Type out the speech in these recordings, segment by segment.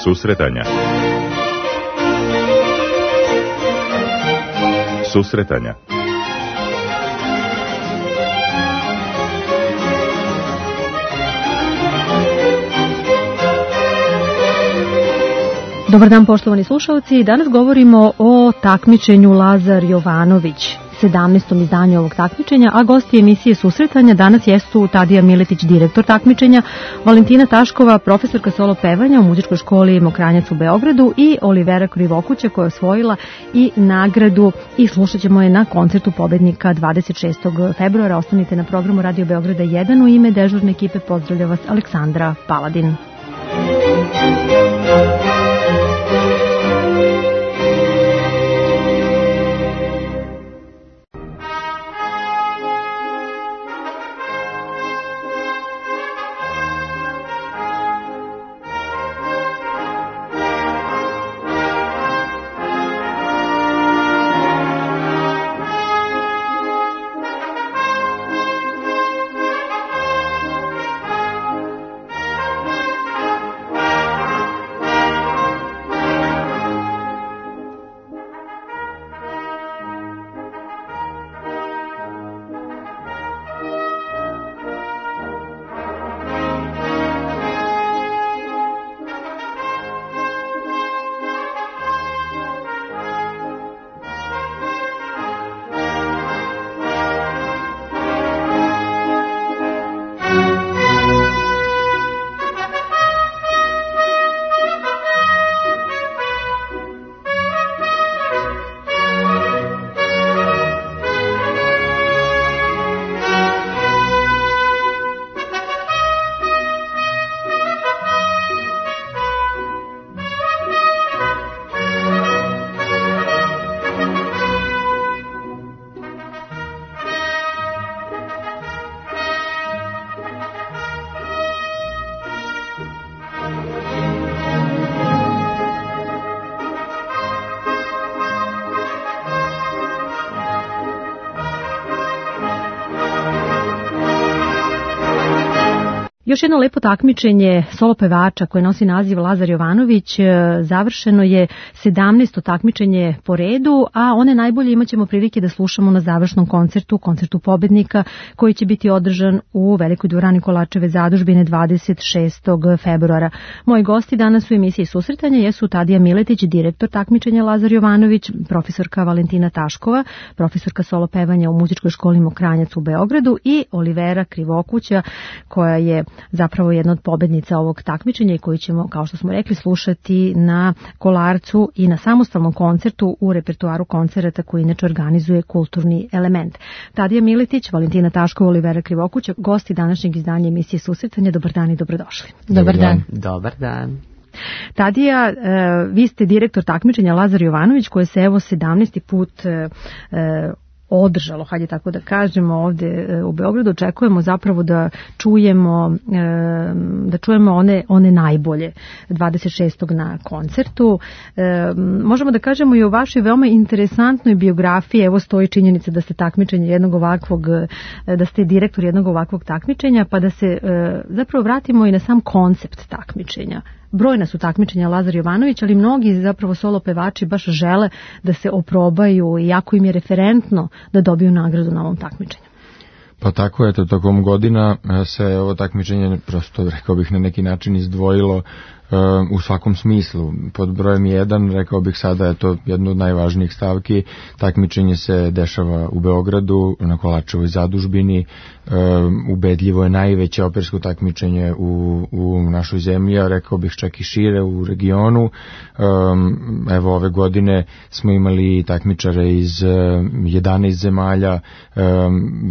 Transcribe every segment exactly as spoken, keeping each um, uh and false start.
Susretanja. Susretanja. Dobar dan, poštovani slušalci. Danas govorimo o takmičenju Lazar Jovanović, sedamnaestom izdanju ovog takmičenja, a gosti emisije Susretanja danas jesu Tadija Miletić, direktor takmičenja, Valentina Taškova, profesorka solo pevanja u muzičkoj školi Mokranjac u Beogradu i Olivera Krivokuća koja je osvojila i nagradu i slušat ćemo je na koncertu pobednika dvadeset šestog februara. Ostanite na programu Radio Beograda jedan. U ime dežurne ekipe pozdravlja vas Aleksandra Paladin. Još jedno lepo takmičenje solo pevača koje nosi naziv Lazar Jovanović završeno je sedamnaesto takmičenje po redu, a one najbolje imat ćemo prilike da slušamo na završnom koncertu, koncertu pobednika koji će biti održan u Velikoj dvorani Kolačeve zadužbine dvadeset šestog februara. Moji gosti danas u emisiji Susretanja jesu Tadija Miletić, direktor takmičenja Lazar Jovanović, profesorka Valentina Taškova, profesorka solo pevanja u muzičkoj školi Mokranjac u Beogradu i Olivera Krivokuća koja je zapravo jedna od pobednica ovog takmičenja i koju ćemo, kao što smo rekli, slušati na Kolarcu i na samostalnom koncertu u repertoaru koncerata koji inače organizuje Kulturni element. Tadija Miletić, Valentina Taškova, Olivera Krivokuća, gosti današnjeg izdanja emisije Susretanja. Dobar dan i dobrodošli. Dobar dan. Dobar dan. Tadija, vi ste direktor takmičenja Lazar Jovanović koje se evo sedamnaesti put održalo, hajde tako da kažemo, ovde u Beogradu. Očekujemo zapravo da čujemo da čujemo one, one najbolje dvadeset šestog na koncertu. Možemo da kažemo i o vašoj veoma interesantnoj biografiji. Evo stoji činjenica da ste takmičenje jednog ovakvog, da ste direktor jednog ovakvog takmičenja, pa da se zapravo vratimo i na sam koncept takmičenja. Brojna su takmičenja Lazar Jovanović, ali mnogi zapravo solo pevači baš žele da se oprobaju i jako im je referentno da dobiju nagradu na ovom takmičenju. Pa tako je, to tokom godina se ovo takmičenje prosto, rekao bih, na neki način izdvojilo u svakom smislu. Pod brojem jedan, rekao bih sada, je to jedno od najvažnijih stavki. Takmičenje se dešava u Beogradu, na Kolačevoj zadužbini. Ubedljivo je najveće opersko takmičenje u, u našoj zemlji, a rekao bih čak i šire u regionu. Evo, ove godine smo imali takmičare iz jedanaest zemalja,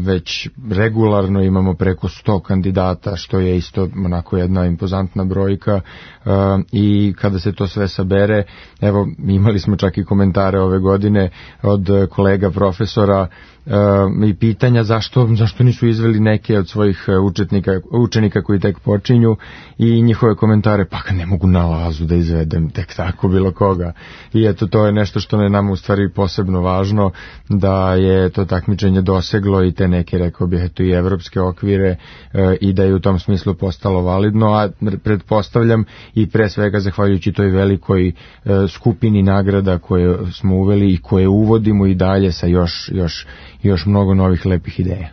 već regularno imamo preko sto kandidata, što je isto onako jedna impozantna brojka. Uh, i kada se to sve sabere, evo, imali smo čak i komentare ove godine od kolega profesora uh, i pitanja zašto, zašto nisu izveli neke od svojih učetnika, učenika koji tek počinju, i njihove komentare, pa kad ne mogu na Lazu da izvedem tek tako bilo koga. I eto, to je nešto što je nama u stvari posebno važno, da je to takmičenje doseglo i te neke, rekao bih eto i evropske okvire e, i da je u tom smislu postalo validno, a pretpostavljam i pre svega zahvaljujući toj velikoj e, skupini nagrada koje smo uveli i koje uvodimo i dalje sa još, još, još mnogo novih lepih ideja.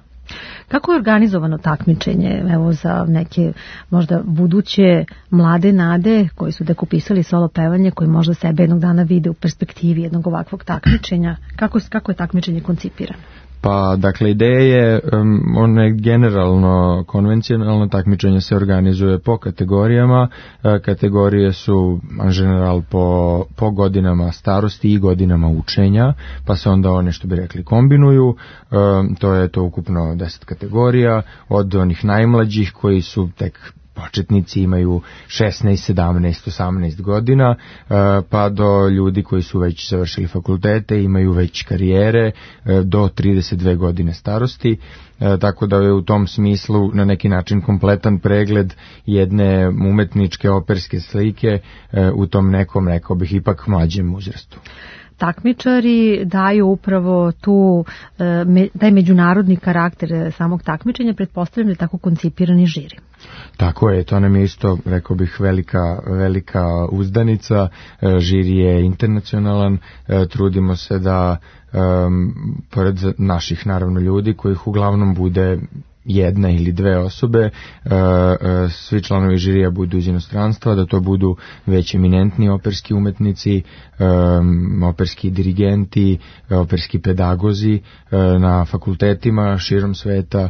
Kako je organizovano takmičenje, evo za neke možda buduće mlade nade koji su tek upisali solo pevanje, koji možda sebe jednog dana vide u perspektivi jednog ovakvog takmičenja, kako, kako je takmičenje koncipirano? Pa, dakle, ideja je, um, ono je generalno konvencionalno takmičenje se organizuje po kategorijama, e, kategorije su en general po, po godinama starosti i godinama učenja, pa se onda one, što bi rekli, kombinuju, e, to je to ukupno deset kategorija, od onih najmlađih koji su tek početnici, imaju šesnaest, sedamnaest, osamnaest godina, pa do ljudi koji su već završili fakultete, imaju već karijere do trideset dve godine starosti, tako da je u tom smislu na neki način kompletan pregled jedne umetničke operske slike u tom nekom, rekao bih, ipak mlađem uzrastu. Takmičari daju upravo tu, taj međunarodni karakter samog takmičenja, pretpostavljam da je tako koncipirani žiri. Tako je, to nam je isto, rekao bih, velika, velika uzdanica, žiri je internacionalan, trudimo se da, um, pored naših naravno ljudi, kojih uglavnom bude jedna ili dve osobe, svi članovi žirija budu iz inostranstva, da to budu već eminentni operski umetnici, operski dirigenti, operski pedagozi na fakultetima širom sveta,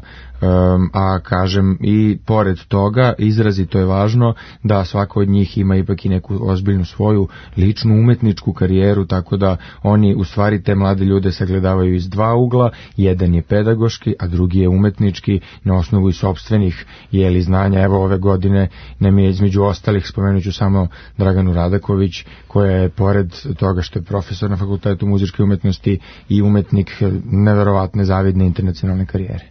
a kažem i pored toga izrazito je važno da svako od njih ima ipak i neku ozbiljnu svoju ličnu umetničku karijeru, tako da oni u stvari te mlade ljude sagledavaju iz dva ugla, jedan je pedagoški, a drugi je umetnički, na osnovu i sopstvenih jeli znanja. Evo ove godine nam je između ostalih, spomenut ću samo Draganu Radaković, koja je pored toga što je profesor na Fakultetu muzičke umetnosti i umetnik neverovatne zavidne internacionalne karijere.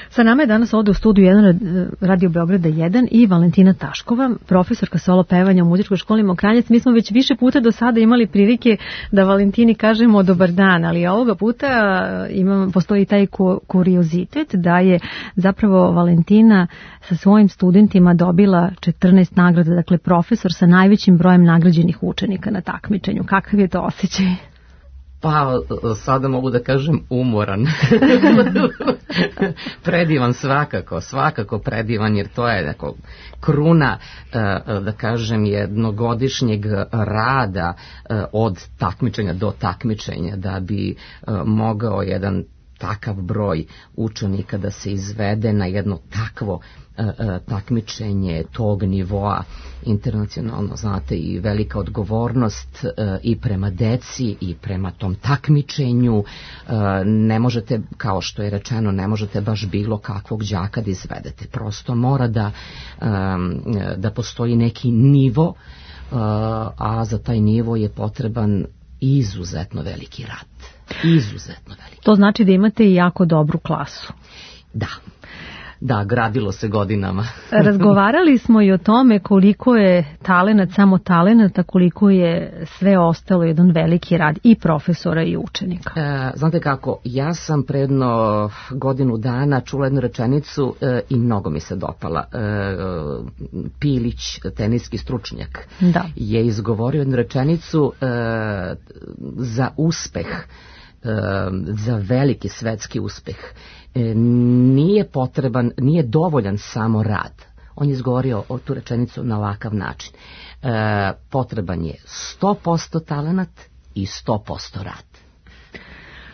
Sa nama je danas ovde u studiju jedan Radio Beograda jedan i Valentina Taškova, profesorka solo pevanja u muzičkoj školi Mokranjac. Mi smo već više puta do sada imali prilike da Valentini kažemo dobar dan, ali ovoga puta imam, postoji taj kuriozitet da je zapravo Valentina sa svojim studentima dobila četrnaest nagrada, dakle profesor sa najvećim brojem nagrađenih učenika na takmičenju. Kakav je to osjećaj? Pa, sada mogu da kažem umoran. Predivan svakako, svakako predivan, jer to je neko kruna, da kažem, jednogodišnjeg rada od takmičenja do takmičenja, da bi mogao jedan takav broj učenika da se izvede na jedno takvo takmičenje tog nivoa internacionalno, znate, i velika odgovornost i prema deci i prema tom takmičenju. Ne možete, kao što je rečeno, ne možete baš bilo kakvog đaka da izvedete. Prosto mora da, da postoji neki nivo, a za taj nivo je potreban izuzetno veliki rad. Izuzetno veliki. To znači da imate i jako dobru klasu. Da. Da, gradilo se godinama. Razgovarali smo i o tome koliko je talenat, samo talenat, a koliko je sve ostalo jedan veliki rad i profesora i učenika. E, znate kako, ja sam predno godinu dana čula jednu rečenicu e, i mnogo mi se dopala. E, Pilić, teniski stručnjak, da, je izgovorio jednu rečenicu e, za uspeh, e, za veliki svetski uspeh. Nije potreban, nije dovoljan samo rad. On je izgovorio o tu rečenicu na ovakav način. E, potreban je sto posto talenat i sto posto rad.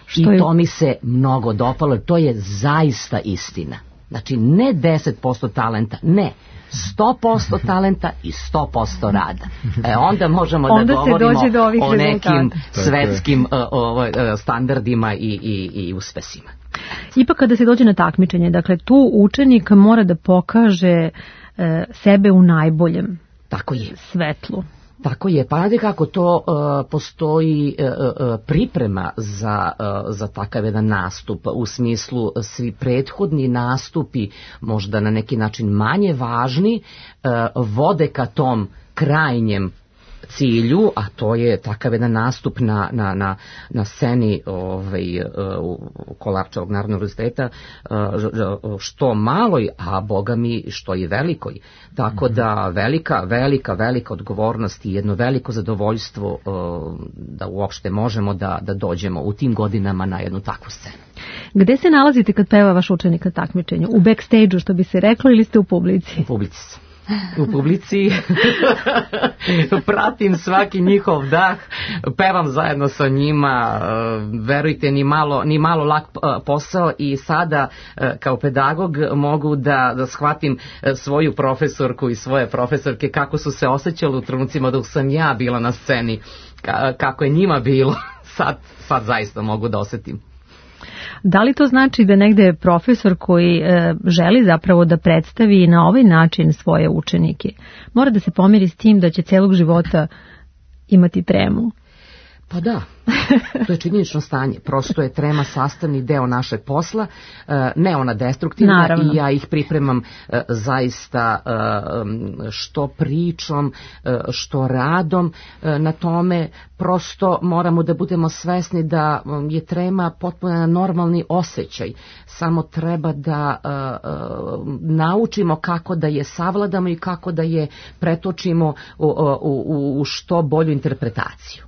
Što I to je... mi se mnogo dopalo, to je zaista istina. Znači, ne deset posto talenta, ne, sto posto talenta i sto posto rada. E, onda možemo onda da govorimo o nekim svetskim o, o, standardima i, i, i uspesima. Ipak kada se dođe na takmičenje, dakle tu učenik mora da pokaže e, sebe u najboljem Tako je. svetlu. Tako je, pa znate kako to uh, postoji uh, uh, priprema za, uh, za takav jedan nastup, u smislu svi prethodni nastupi, možda na neki način manje važni, uh, vode ka tom krajnjem cilju, a to je takav jedan nastup na, na, na, na sceni ovaj, u Kolarčevog Narodnog univerziteta, što maloj, a boga mi što i velikoj. Tako da velika, velika, velika odgovornost i jedno veliko zadovoljstvo da uopšte možemo da, da dođemo u tim godinama na jednu takvu scenu. Gde se nalazite kad peva vaš učenik na takmičenju? U backstage-u, što bi se reklo, ili ste u publici? U publici sam. U publici pratim svaki njihov dah, pevam zajedno sa njima, verujte, ni malo, ni malo lak posao, i sada kao pedagog mogu da, da shvatim svoju profesorku i svoje profesorke kako su se osjećali u trenucima dok sam ja bila na sceni, kako je njima bilo, sad, sad zaista mogu da osjetim. Da li to znači da negde profesor koji e, želi zapravo da predstavi na ovaj način svoje učenike mora da se pomiri s tim da će celog života imati tremu? Pa da, to je činjenično stanje. Prosto je trema sastavni deo našeg posla, ne ona destruktivna. Naravno. I ja ih pripremam zaista što pričom, što radom na tome. Prosto moramo da budemo svesni da je trema potpuno normalni osjećaj. Samo treba da naučimo kako da je savladamo i kako da je pretočimo u, u, u što bolju interpretaciju.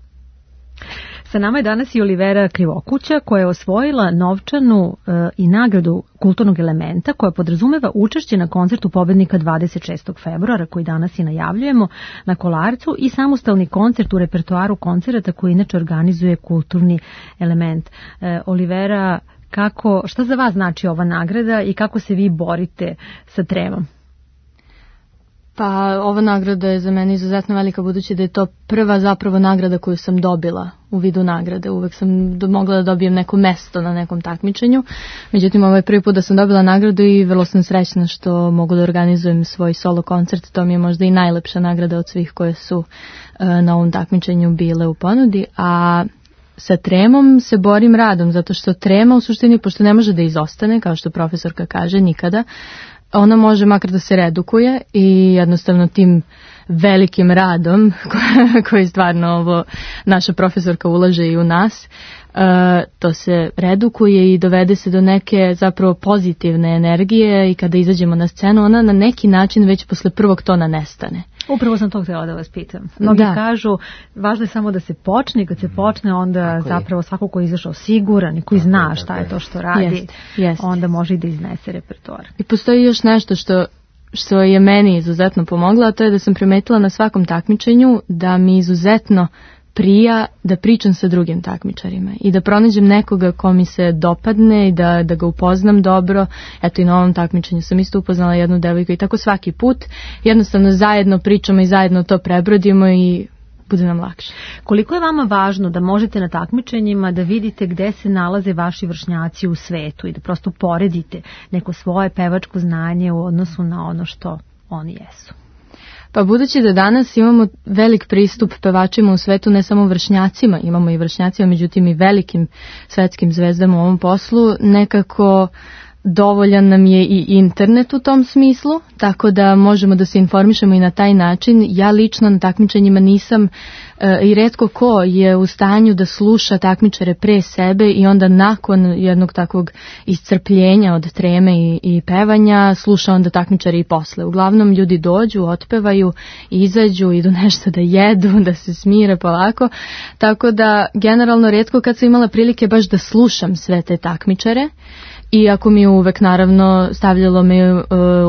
Sa nama je danas i Olivera Krivokuća, koja je osvojila novčanu e, i nagradu kulturnog elementa, koja podrazumeva učešće na koncertu pobednika dvadeset šestog februara, koji danas i najavljujemo na Kolarcu, i samostalni koncert u repertoaru koncerata koji inače organizuje kulturni element. E, Olivera, kako, šta za vas znači ova nagrada i kako se vi borite sa tremom? Pa ova nagrada je za mene izuzetno velika, budući da je to prva zapravo nagrada koju sam dobila u vidu nagrade. Uvek sam do, mogla da dobijem neko mesto na nekom takmičenju. Međutim, ovo je prvi put da sam dobila nagradu i vrlo sam srećna što mogu da organizujem svoj solo koncert. To mi je možda i najlepša nagrada od svih koje su uh, na ovom takmičenju bile u ponudi. A sa tremom se borim radom, zato što trema u suštini, pošto ne može da izostane, kao što profesorka kaže, nikada, ona može makar da se redukuje i jednostavno tim velikim radom koji stvarno ovo naša profesorka ulaže i u nas, to se redukuje i dovede se do neke zapravo pozitivne energije, i kada izađemo na scenu ona na neki način već posle prvog tona nestane. Upravo sam to htjela da vas pitam. Mnogi da. kažu, važno je samo da se počne, i kad se počne onda tako zapravo je. Svako ko je izašao siguran i koji tako zna šta je, je to što radi, jest, jest. onda može i da iznese repertoar. I postoji još nešto što što je meni izuzetno pomoglo, a to je da sam primetila na svakom takmičenju da mi izuzetno prija da pričam sa drugim takmičarima i da pronađem nekoga ko mi se dopadne i da, da ga upoznam dobro. Eto, i na ovom takmičenju sam isto upoznala jednu devojku i tako svaki put jednostavno zajedno pričamo i zajedno to prebrodimo i bude nam lakše. Koliko je vama važno da možete na takmičenjima da vidite gde se nalaze vaši vršnjaci u svetu i da prosto poredite neko svoje pevačko znanje u odnosu na ono što oni jesu? Pa budući da danas imamo velik pristup pevačima u svetu, ne samo vršnjacima, imamo i vršnjacima, međutim i velikim svetskim zvezdama u ovom poslu, nekako dovoljan nam je i internet u tom smislu, tako da možemo da se informišemo i na taj način. Ja lično na takmičenjima nisam e, i retko ko je u stanju da sluša takmičare pre sebe i onda nakon jednog takvog iscrpljenja od treme i, i pevanja sluša onda takmičare i posle. Uglavnom ljudi dođu, otpevaju, izađu, idu nešto da jedu, da se smire polako, tako da generalno retko kad sam imala prilike baš da slušam sve te takmičare. Iako mi je uvek naravno stavljalo me uh,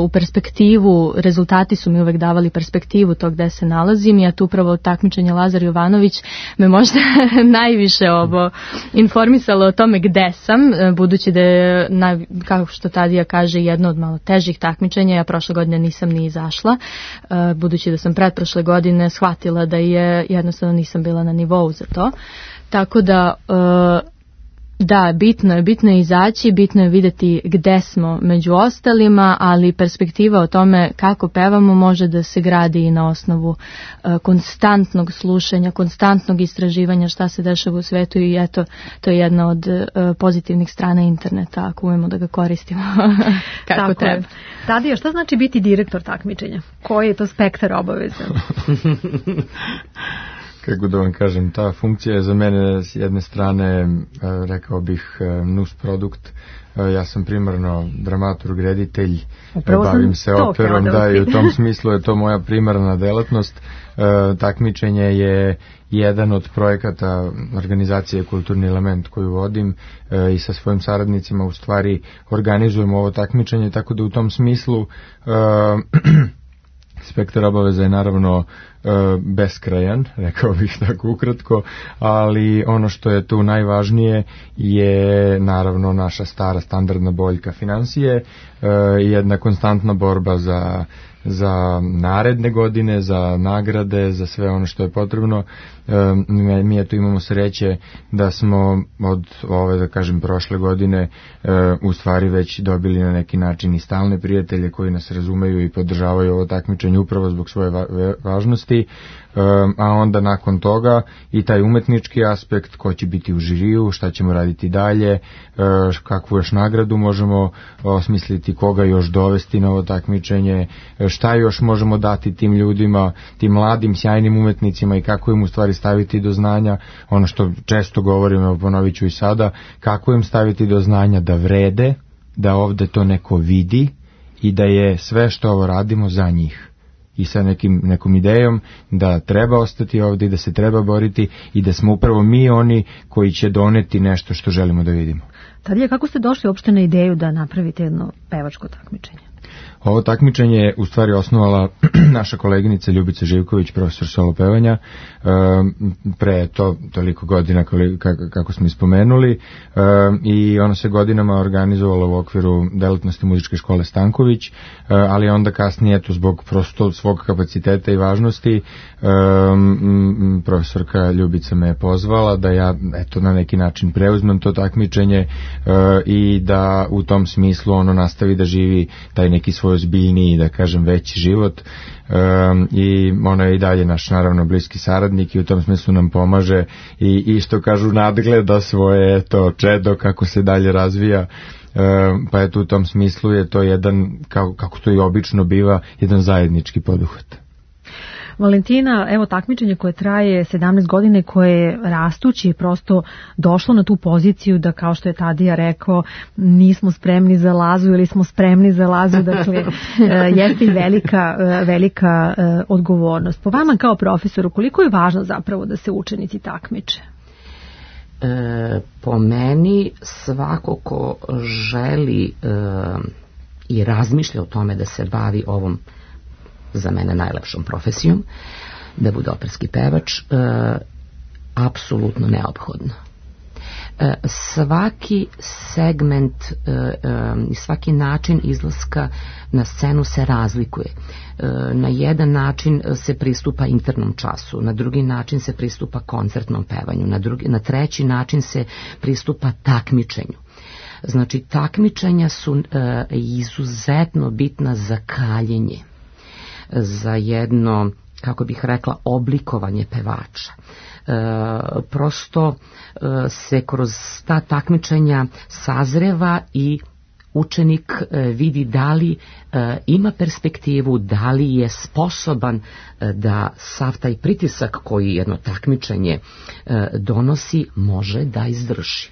u perspektivu, rezultati su mi uvek davali perspektivu tog gde se nalazim, i ja tu upravo takmičenje Lazar Jovanović me možda najviše ovo informisalo o tome gde sam, budući da je, na, kao što Tadija kaže, jedno od malo težih takmičenja. Ja prošle godine nisam ni izašla, uh, budući da sam pretprošle godine shvatila da je jednostavno nisam bila na nivou za to. Tako da uh, Da, bitno je, bitno je izaći, bitno je vidjeti gde smo među ostalima, ali perspektiva o tome kako pevamo može da se gradi i na osnovu uh, konstantnog slušanja, konstantnog istraživanja šta se dešava u svetu i eto, to je jedna od uh, pozitivnih strana interneta, ako umemo da ga koristimo kako Tako treba. Je. Tadija, šta znači biti direktor takmičenja? Koji je to spektar obaveza? Kako da vam kažem, ta funkcija je za mene s jedne strane, rekao bih, nus produkt. Ja sam primarno dramaturg, reditelj, Upravo bavim se operom, da, i u tom smislu je to moja primarna delatnost. Takmičenje je jedan od projekata organizacije Kulturni element koju vodim i sa svojim saradnicima u stvari organizujemo ovo takmičenje, tako da u tom smislu spektar obaveza je naravno e, beskrajan, rekao bih tako ukratko, ali ono što je tu najvažnije je naravno naša stara standardna boljka finansije, e, jedna konstantna borba za za naredne godine, za nagrade, za sve ono što je potrebno. E, mi eto imamo sreće da smo od ove, da kažem, prošle godine e, u stvari već dobili na neki način i stalne prijatelje koji nas razumeju i podržavaju ovo takmičenje upravo zbog svoje va- važnosti, e, a onda nakon toga i taj umetnički aspekt, ko će biti u žiriju, šta ćemo raditi dalje, e, kakvu još nagradu možemo osmisliti, koga još dovesti na ovo takmičenje, šta još možemo dati tim ljudima, tim mladim, sjajnim umetnicima i kako im u stvari staviti do znanja, ono što često govorim, evo ponovit ću i sada, kako im staviti do znanja da vrede, da ovde to neko vidi i da je sve što ovo radimo za njih. I sa nekim, nekom idejom da treba ostati ovde i da se treba boriti i da smo upravo mi oni koji će doneti nešto što želimo da vidimo. Tadija, kako ste došli uopšte na ideju da napravite jedno pevačko takmičenje? Ovo takmičenje je u stvari osnovala naša koleginica Ljubica Živković, profesor solo pevanja, pre to toliko godina kako smo ispomenuli, i ono se godinama organizovalo u okviru delatnosti muzičke škole Stanković, ali onda kasnije, eto, zbog prosto svog kapaciteta i važnosti, profesorka Ljubica me je pozvala da ja, eto, na neki način preuzmem to takmičenje i da u tom smislu ono nastavi da živi taj neki svoj ozbiljniji, da kažem, veći život, um, i ona je i dalje naš naravno bliski saradnik i u tom smislu nam pomaže i, i što kažu nadgleda svoje to čedo kako se dalje razvija, um, pa eto u tom smislu je to jedan, kako, kako to i obično biva, jedan zajednički poduhvat. Valentina, evo takmičenje koje traje sedamnaest godine, koje je rastući prosto došlo na tu poziciju da, kao što je Tadija rekao, nismo spremni za Lazu ili smo spremni za Lazu, dakle jeste i velika, velika odgovornost. Po vama kao profesoru, koliko je važno zapravo da se učenici takmiče? E, po meni svako ko želi e, i razmišlja o tome da se bavi ovom, za mene, najlepšom profesijom, da bude operski pevač, e, apsolutno neophodno. E, svaki segment i e, e, svaki način izlaska na scenu se razlikuje. E, na jedan način se pristupa internom času, na drugi način se pristupa koncertnom pevanju, na, drugi, na treći način se pristupa takmičenju. Znači, takmičenja su e, izuzetno bitna za kaljenje, za jedno, kako bih rekla, oblikovanje pevača. E, prosto e, se kroz ta takmičenja sazreva i učenik e, vidi da li e, ima perspektivu, da li je sposoban e, da sav taj pritisak koji jedno takmičenje e, donosi može da izdrži.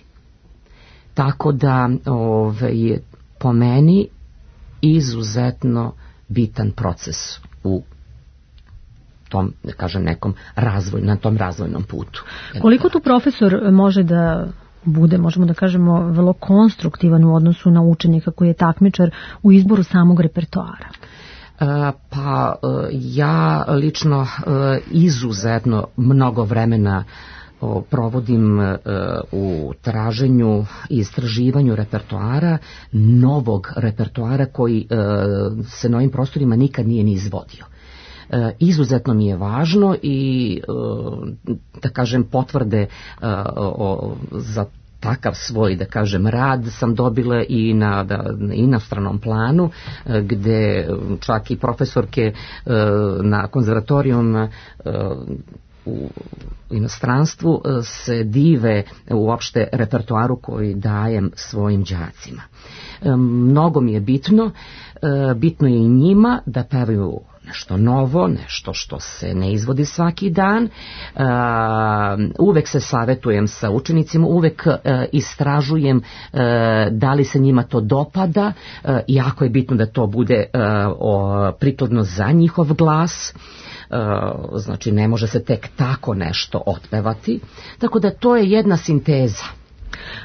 Tako da ove, po meni izuzetno bitan proces u tom, da kažem, nekom razvoj, na tom razvojnom putu. Koliko tu profesor može da bude, možemo da kažemo, vrlo konstruktivan u odnosu na učenika koji je takmičar u izboru samog repertoara? Pa ja lično izuzetno mnogo vremena provodim u traženju i istraživanju repertoara, novog repertoara koji se na ovim prostorima nikad nije ni izvodio. Izuzetno mi je važno i, da kažem, potvrde za takav svoj, da kažem, rad sam dobila i na, da, na inostranom planu, gde čak i profesorke na konzervatorijum u inostranstvu se dive uopšte repertoaru koji dajem svojim đacima. Mnogo mi je bitno, bitno je i njima da pevaju nešto novo, nešto što se ne izvodi svaki dan. Uh, uvek se savetujem sa učenicima, uvek uh, istražujem uh, da li se njima to dopada. Uh, jako je bitno da to bude uh, o, prikladno za njihov glas. Uh, znači ne može se tek tako nešto otpevati. Tako da to je jedna sinteza.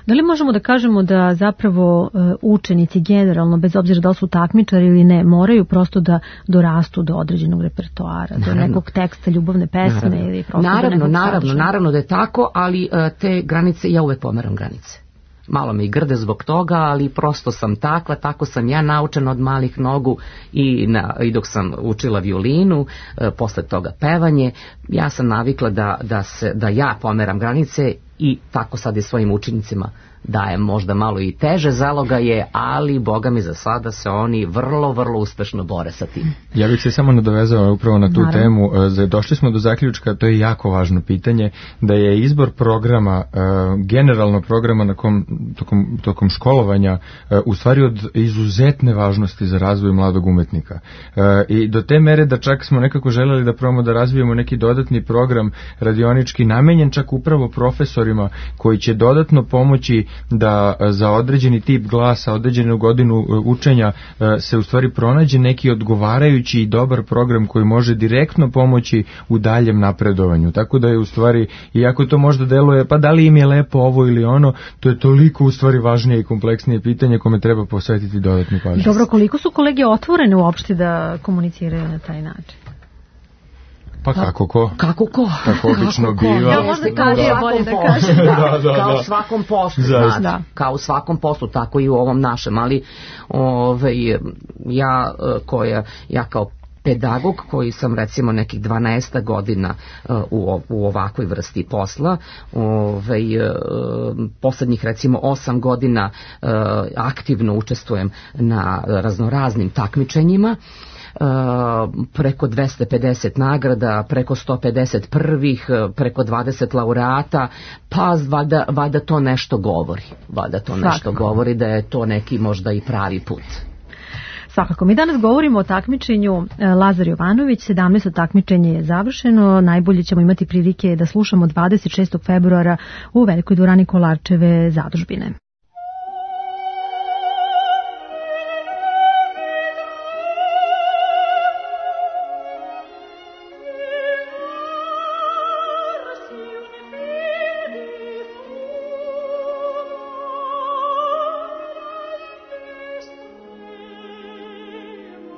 Da li možemo da kažemo da zapravo učenici generalno, bez obzira da li su takmičari ili ne, moraju prosto da dorastu do određenog repertoara, naravno, do nekog teksta, ljubavne pesme naravno, ili prosto naravno, do nekog naravno, sadržaja? Naravno da je tako, ali te granice, ja uvek pomeram granice. Malo me i grde zbog toga, ali prosto sam takva, tako sam ja naučena od malih nogu i, na, i dok sam učila violinu, e, posle toga pevanje, ja sam navikla da, da, se, da ja pomeram granice i tako sad i svojim učenicima dajem možda malo i teže zalogaje, ali boga mi za sada se oni vrlo, vrlo uspešno bore sa tim. Ja bih se samo nadovezao upravo na tu Naravno. temu. Došli smo do zaključka, to je jako važno pitanje, da je izbor programa, generalno programa na kom, tokom, tokom školovanja, u stvari od izuzetne važnosti za razvoj mladog umetnika. I do te mere da čak smo nekako želeli da probamo da razvijemo neki dodatni program radionički namenjen čak upravo profesorima koji će dodatno pomoći da za određeni tip glasa, određenu godinu učenja se u stvari pronađe neki odgovarajući i dobar program koji može direktno pomoći u daljem napredovanju. Tako da je u stvari, iako to možda deluje, pa da li im je lepo ovo ili ono, to je toliko u stvari važnije i kompleksnije pitanje kome treba posvetiti dodatnu pažnju. Dobro, koliko su kolege otvorene uopšte da komuniciraju na taj način? Pa kako ko? Kako ko? Kako obično kako biva. Ja možda kaže, ja bolje da kažem. Da, da, da, kao u svakom poslu, znači, da. Kao u svakom poslu, tako i u ovom našem, ali ove, ja, koja, ja kao pedagog koji sam recimo nekih dvanaest godina u, u ovakvoj vrsti posla, ove, poslednjih recimo osam godina aktivno učestvujem na raznoraznim takmičenjima, Uh, preko dvesta pedeset nagrada, preko sto pedeset prvih, preko dvadeset laureata, pa valjda, valjda to nešto govori. Valjda to Svakako. nešto govori da je to neki možda i pravi put. Svakako, mi danas govorimo o takmičenju Lazar Jovanović, sedamnaesto takmičenje je završeno, najbolje ćemo imati prilike da slušamo dvadeset šestog februara u Velikoj dvorani Kolarčeve zadužbine. Oh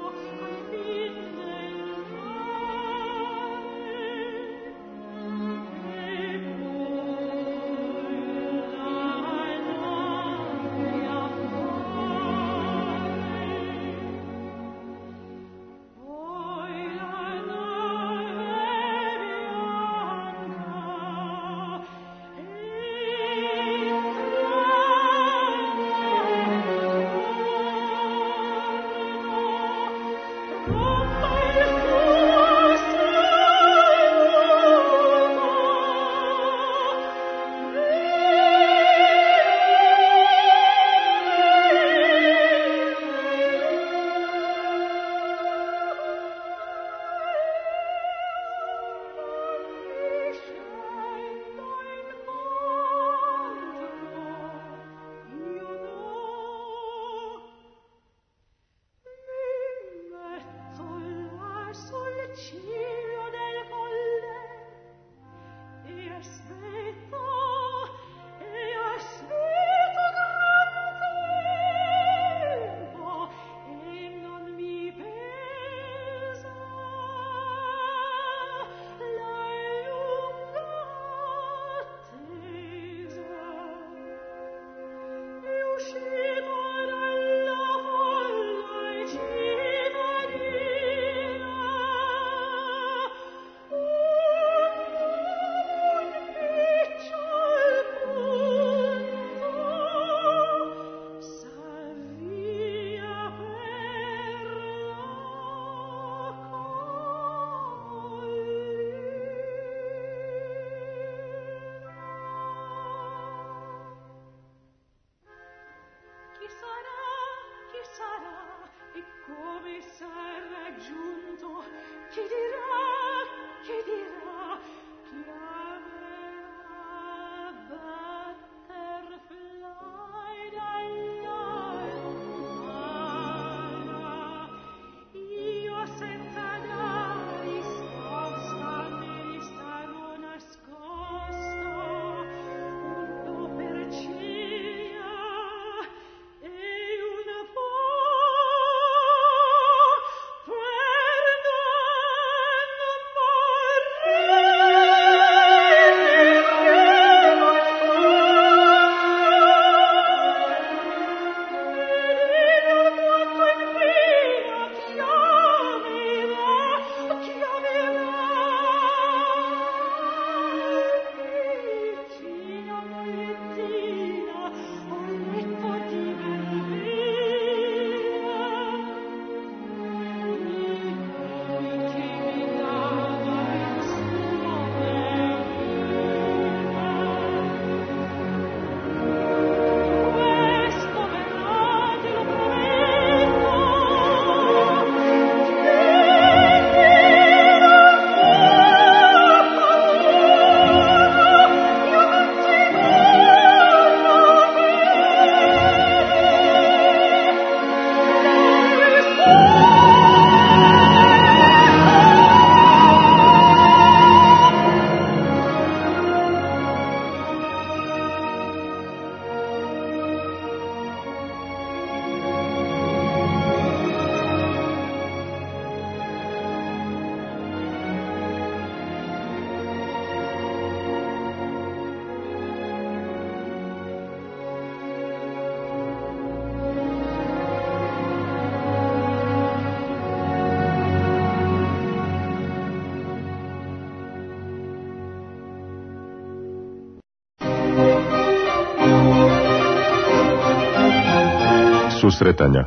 Susretanja.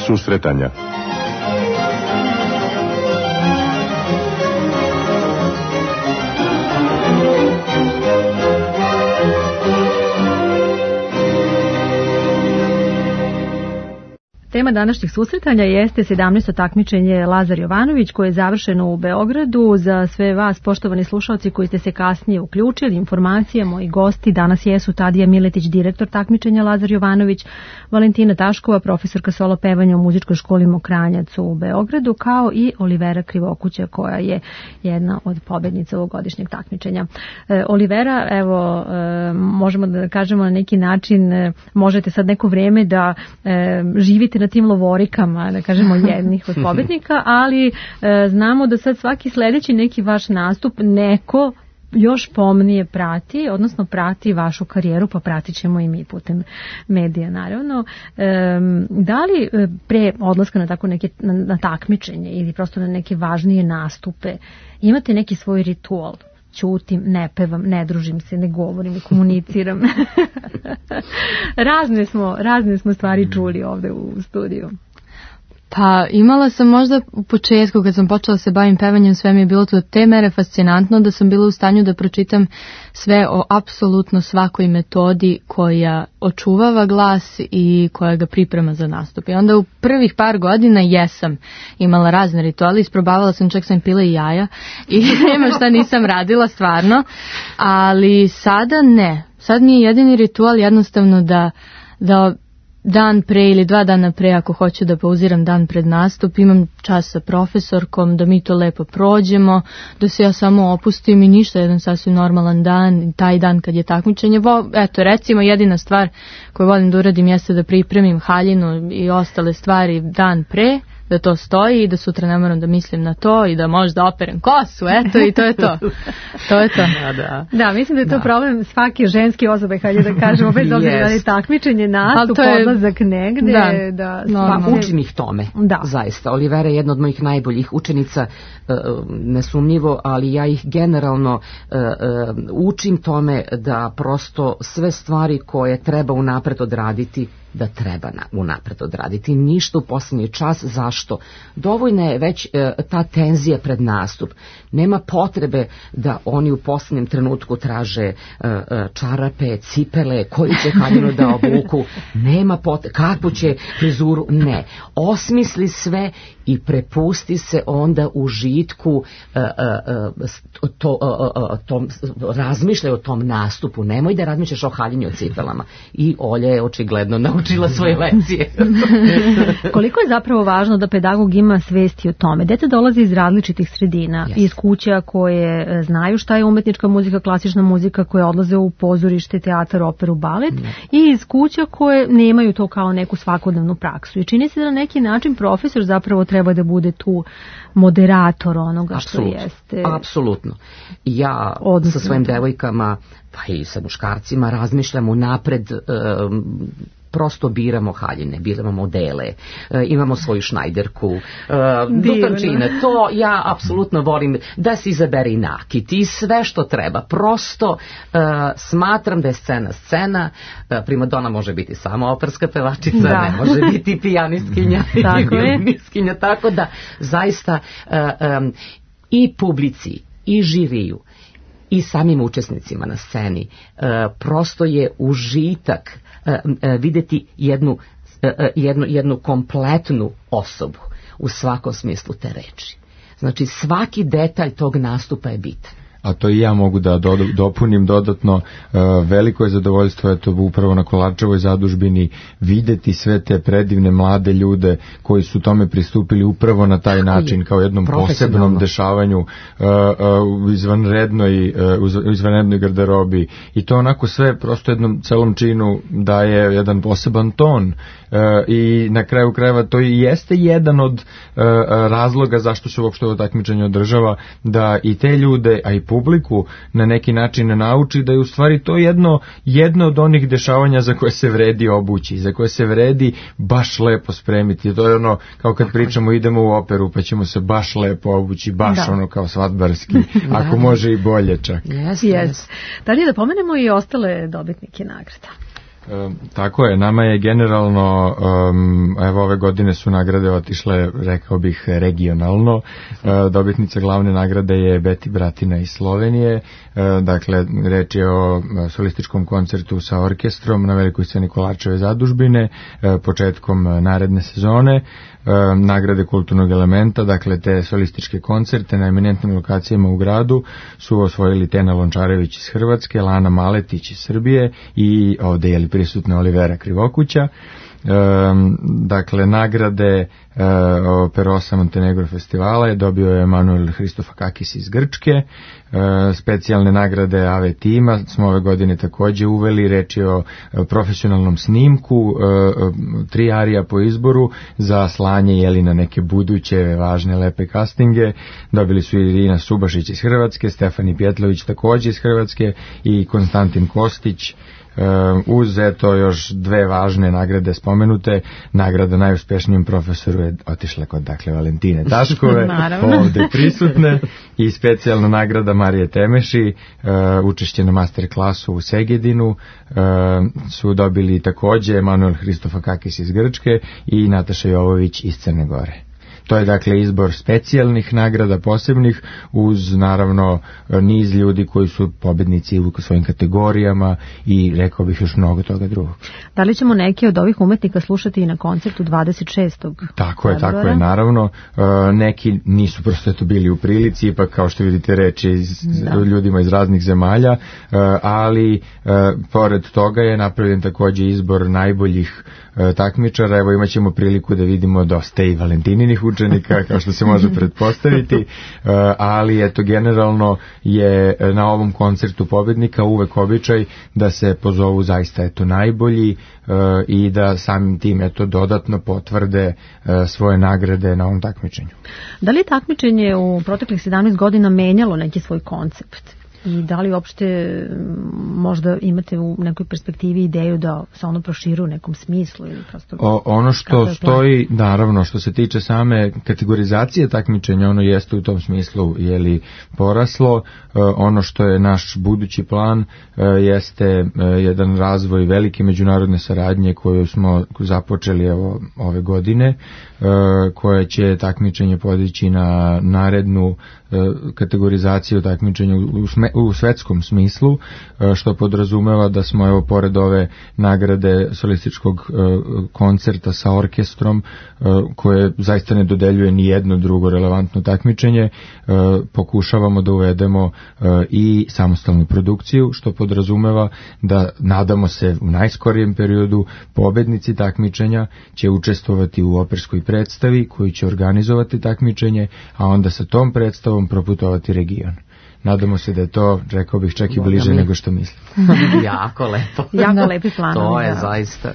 Susretanja. Tema današnjih susretanja jeste sedamnaesto takmičenje Lazar Jovanović koje je završeno u Beogradu. Za sve vas, poštovani slušalci koji ste se kasnije uključili, informacija, moji gosti danas jesu Tadija Miletić, direktor takmičenja Lazar Jovanović, Valentina Taškova, profesorka solo pevanja u muzičkoj školi Mokranjac u Beogradu, kao i Olivera Krivokuća koja je jedna od pobednica ovogodišnjeg takmičenja. E, Olivera, evo, e, možemo da kažemo na neki način, e, možete sad neko vrijeme da e, živite na tim lovorikama, da kažemo jednih od pobednika, ali e, znamo da sad svaki sledeći neki vaš nastup neko još pomnije prati, odnosno prati vašu karijeru, pa pratit ćemo i mi putem medija, naravno. E, da li pre odlaska na tako neke na, na takmičenje ili prosto na neke važnije nastupe imate neki svoj ritual? Ćutim, ne pevam, ne družim se, ne govorim, ne komuniciram. razne smo, razne smo stvari čuli ovde u studiju. Pa imala sam možda u početku kad sam počela se bavim pevanjem, sve mi je bilo to te mere fascinantno da sam bila u stanju da pročitam sve o apsolutno svakoj metodi koja očuvava glas i koja ga priprema za nastup. I onda u prvih par godina jesam imala razne rituale, isprobavala sam, čak sam pila i jaja i nema šta nisam radila stvarno, ali sada ne. Sad mi je jedini ritual jednostavno da, da dan pre ili dva dana pre, ako hoću da pauziram dan pred nastup, imam čas sa profesorkom, da mi to lepo prođemo, da se ja samo opustim i ništa, jedan sasvim normalan dan, taj dan kad je takmičenje. Eto, recimo, jedina stvar koju volim da uradim jeste da pripremim haljinu i ostale stvari dan pre, da to stoji i da sutra ne moram da mislim na to i da možda operem kosu, eto, i to je to. To je to. Da, da. Da, mislim da je to da. problem svake ženske osobe, hajde da kažemo, bez obzira yes. da je takmičenje, nastup, je... odlazak negde. Da, da no, pa, učim ih tome, da. zaista. Olivera je jedna od mojih najboljih učenica, uh, nesumnjivo, ali ja ih generalno uh, uh, učim tome da prosto sve stvari koje treba unapred odraditi, da treba na, unapred odraditi. Ništa u posljednji čas. Zašto? Dovoljna je već e, ta tenzija pred nastup. Nema potrebe da oni u posljednjem trenutku traže e, e, čarape, cipele, koju će haljinu da obuku. Nema potrebe. Kakvu će frizuru? Ne. Osmisli sve i prepusti se onda užitku, e, e, to, e, e, tom, razmišljaj o tom nastupu. Nemoj da razmišljaš o haljini, o cipelama. I Olja je očigledno naučila svoje lekcije. Koliko je zapravo važno da pedagog ima svesti o tome? Deca dolaze iz različitih sredina, yes. iz kuća koje znaju šta je umetnička muzika, klasična muzika, koje odlaze u pozorište, teatar, operu, balet, yes. i iz kuća koje nemaju to kao neku svakodnevnu praksu. I čini se da na neki način profesor zapravo treba da bude tu moderator onoga Absolut. što jeste. Apsolutno. Ja Odnosno. sa svojim devojkama, pa i sa muškarcima razmišljam unapred, um, prosto biramo haljine, biramo modele, e, imamo svoju šnajderku, e, do tančine. To ja apsolutno volim da se izabere i nakit i sve što treba. Prosto e, smatram da je scena scena, e, primadona može biti samo operska pevačica, da. ne može biti pijanistkinja i violinistkinja, tako da zaista e, e, i publici i žiriju i samim učesnicima na sceni e, prosto je užitak e, e, vidjeti jednu, e, jednu, jednu kompletnu osobu u svakom smislu te reči. Znači svaki detalj tog nastupa je bitan. A to i ja mogu da do, dopunim dodatno, uh, veliko je zadovoljstvo eto upravo na Kolarčevoj zadužbini videti sve te predivne mlade ljude koji su tome pristupili upravo na taj način, kao jednom posebnom dešavanju, uh, uh, u izvanrednoj, uh, u izvanrednoj garderobi, i to onako sve prosto jednom celom činu daje jedan poseban ton, uh, i na kraju krajeva to i jeste jedan od uh, razloga zašto se uopšte ovo takmičenje održava, da i te ljude, a i publiku na neki način nauči da je u stvari to jedno, jedno od onih dešavanja za koje se vredi obući, za koje se vredi baš lepo spremiti. To je ono, kao kad pričamo idemo u operu pa ćemo se baš lepo obući, baš da. ono kao svadbarski, ako može i bolje čak. Yes, yes. Da li da pomenemo i ostale dobitnike nagrada? E, tako je, nama je generalno, um, evo ove godine su nagrade otišle, rekao bih, regionalno. E, dobitnica glavne nagrade je Beti Bratina iz Slovenije, e, dakle, reč je o solističkom koncertu sa orkestrom na velikoj sceni Kolarčeve zadužbine, e, početkom naredne sezone. E, nagrade kulturnog elementa, dakle te solističke koncerte na eminentnim lokacijama u gradu su osvojili Tena Lončarević iz Hrvatske, Lana Maletić iz Srbije i ovde je li prisutna Olivera Krivokuća. E, dakle, nagrade e, Perosa Montenegro festivala je dobio je Emanuel Hristofakakis iz Grčke. E, specijalne nagrade A V tima smo ove godine takođe uveli, reč je o profesionalnom snimku, e, tri arija po izboru za slanje jeli na neke buduće važne lepe castinge. Dobili su Irina Subašić iz Hrvatske, Stefani Pjetlović takođe iz Hrvatske i Konstantin Kostić. Uh, uz eto još dve važne nagrade spomenute, nagrada najuspešnijem profesoru je otišla kod dakle Valentine Taškove, ovde prisutne, i specijalna nagrada Marije Temeši, uh, učešće na master klasu u Segedinu, uh, su dobili takođe Emanuel Hristofakakis iz Grčke i Nataša Jovović iz Crne Gore. To je dakle izbor specijalnih nagrada posebnih uz naravno niz ljudi koji su pobednici u svojim kategorijama i rekao bih još mnogo toga drugog. Da li ćemo neki od ovih umetnika slušati i na koncertu dvadeset šestog Tako je, tako je, naravno. Neki nisu prosto eto bili u prilici, ipak kao što vidite reči iz, ljudima iz raznih zemalja, ali pored toga je napravljen takođe izbor najboljih takmičara. Evo imat ćemo priliku da vidimo dosta i Valentininih učenika, kao što se može pretpostaviti, ali eto generalno je na ovom koncertu pobednika uvek običaj da se pozovu zaista eto najbolji i da samim tim eto dodatno potvrde svoje nagrade na ovom takmičenju. Da li takmičenje u proteklih sedamnaest godina menjalo neki svoj koncept? I da li uopšte možda imate u nekoj perspektivi ideju da se ono proširu u nekom smislu ili prosto... O, ono što stoji, naravno, što se tiče same kategorizacije takmičenja, ono jeste u tom smislu jeli poraslo. E, ono što je naš budući plan e, jeste e, jedan razvoj velike međunarodne saradnje koju smo započeli evo, ove godine, e, koja će takmičenje podići na narednu e, kategorizaciju takmičenja u, sme, u svetskom smislu, što podrazumeva da smo evo pored ove nagrade solističkog koncerta sa orkestrom, koje zaista ne dodeljuje ni jedno drugo relevantno takmičenje, pokušavamo da uvedemo i samostalnu produkciju, što podrazumeva da nadamo se u najskorijem periodu pobednici takmičenja će učestvovati u operskoj predstavi koju će organizovati takmičenje, a onda sa tom predstavom proputovati region. Nadamo se da je to, rekao bih, čak i bliže nego što mislim. Jako lepo. Jako lepi planovi. To je zaista...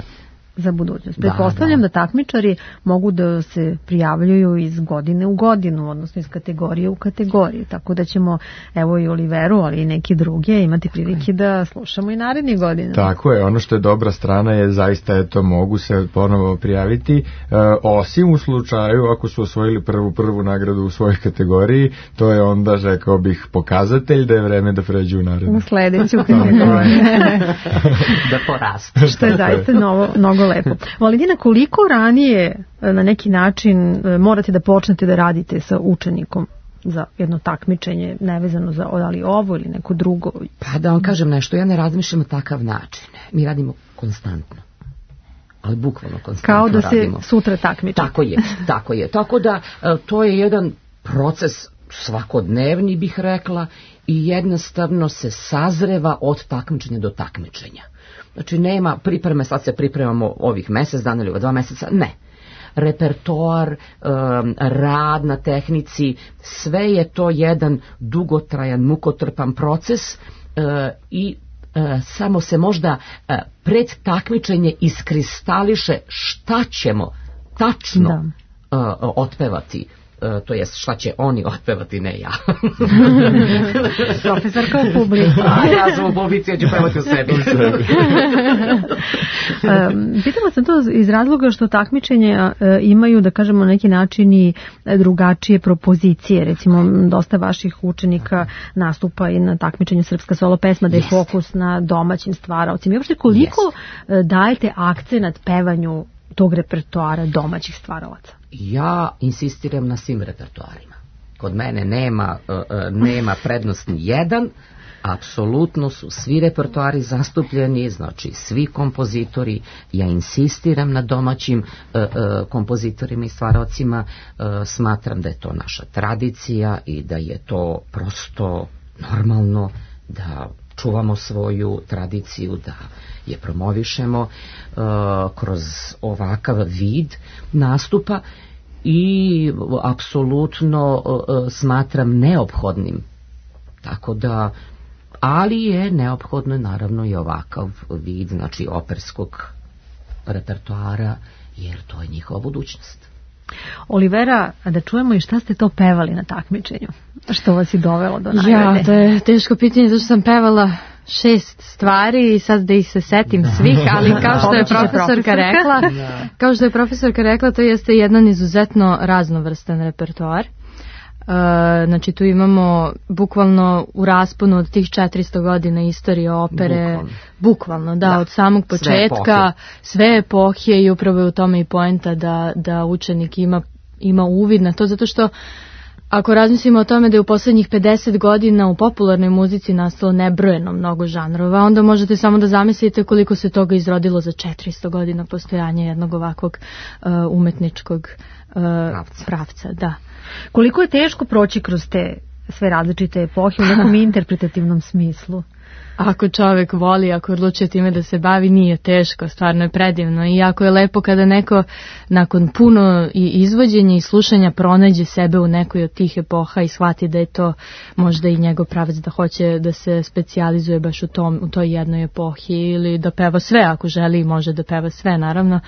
za budućnost. Pretpostavljam da, da. da takmičari mogu da se prijavljuju iz godine u godinu, odnosno iz kategorije u kategoriju, tako da ćemo evo i Oliveru, ali i neki druge imati prilike da slušamo i narednih godina. Tako je, ono što je dobra strana je zaista eto mogu se ponovo prijaviti, e, osim u slučaju ako su osvojili prvu prvu nagradu u svojoj kategoriji, to je onda, rekao bih, pokazatelj da je vreme da pređu u narednu. U sledeću kategoriju. Da porastu. Što je zaista novo, mnogo lepo. Valentina, koliko ranije na neki način morate da počnete da radite sa učenikom za jedno takmičenje, nevezano za ali ovo ili neko drugo? Pa da vam kažem nešto, ja ne razmišljam na takav način. Mi radimo konstantno. Ali bukvalno konstantno radimo. Kao da radimo. Se sutra takmiče. Tako je, tako je. Tako da to je jedan proces svakodnevni, bih rekla, i jednostavno se sazreva od takmičenja do takmičenja. Znači nema pripreme, sad se pripremamo ovih mesec dana ili dva meseca, ne. Repertoar, um, rad na tehnici, sve je to jedan dugotrajan, mukotrpan proces uh, i uh, samo se možda uh, pred takmičenje iskristališe šta ćemo tačno uh, otpevati. to jest šta će oni otpevati, ne ja. Profesorka u publiku. A ja sam u publici, ja ću pevati u sebi. Pitala sam to iz razloga što takmičenja imaju, da kažemo, na neki način i drugačije propozicije. Recimo, dosta vaših učenika nastupa i na takmičenju Srpska solo pesma, da je fokus na domaćim stvaraocima. I uopšte koliko dajete akcenat pevanju tog repertoara domaćih stvaralaca? Ja insistiram na svim repertoarima. Kod mene nema, nema prednost ni jedan, apsolutno su svi repertoari zastupljeni, znači svi kompozitori. Ja insistiram na domaćim kompozitorima i stvaralcima, smatram da je to naša tradicija i da je to prosto normalno da čuvamo svoju tradiciju, da je promovišemo uh, kroz ovakav vid nastupa i apsolutno uh, smatram neophodnim. Tako da, ali je neophodno naravno i ovakav vid, znači operskog repertoara, jer to je njihova budućnost. Olivera, da čujemo i šta ste to pevali na takmičenju? Što vas je dovelo do nagrade? Ja, to je teško pitanje, zato što sam pevala šest stvari i sad da ih se setim svih, ali kao što je profesorka rekla, kao što je profesorka rekla, to jeste jedan izuzetno raznovrstan repertoar. Uh, znači tu imamo bukvalno u rasponu od tih četiristo godina istorije opere, bukvalno, bukvalno da, da, od samog početka, sve epohe i upravo je u tome i poenta da, da učenik ima, ima uvid na to, zato što ako razmislimo o tome da je u poslednjih pedeset godina u popularnoj muzici nastalo nebrojeno mnogo žanrova, onda možete samo da zamislite koliko se toga izrodilo za četiristo godina postojanja jednog ovakvog uh, umetničkog uh, pravca. pravca, da. Koliko je teško proći kroz te sve različite epohe u nekom interpretativnom smislu? Ako čovjek voli, ako odlučuje time da se bavi, nije teško, stvarno je predivno i jako je lepo kada neko nakon puno i izvođenja i slušanja pronađe sebe u nekoj od tih epoha i shvati da je to možda i njegov pravac, da hoće da se specijalizuje baš u, tom, u toj jednoj epohi ili da peva sve ako želi i može da peva sve naravno.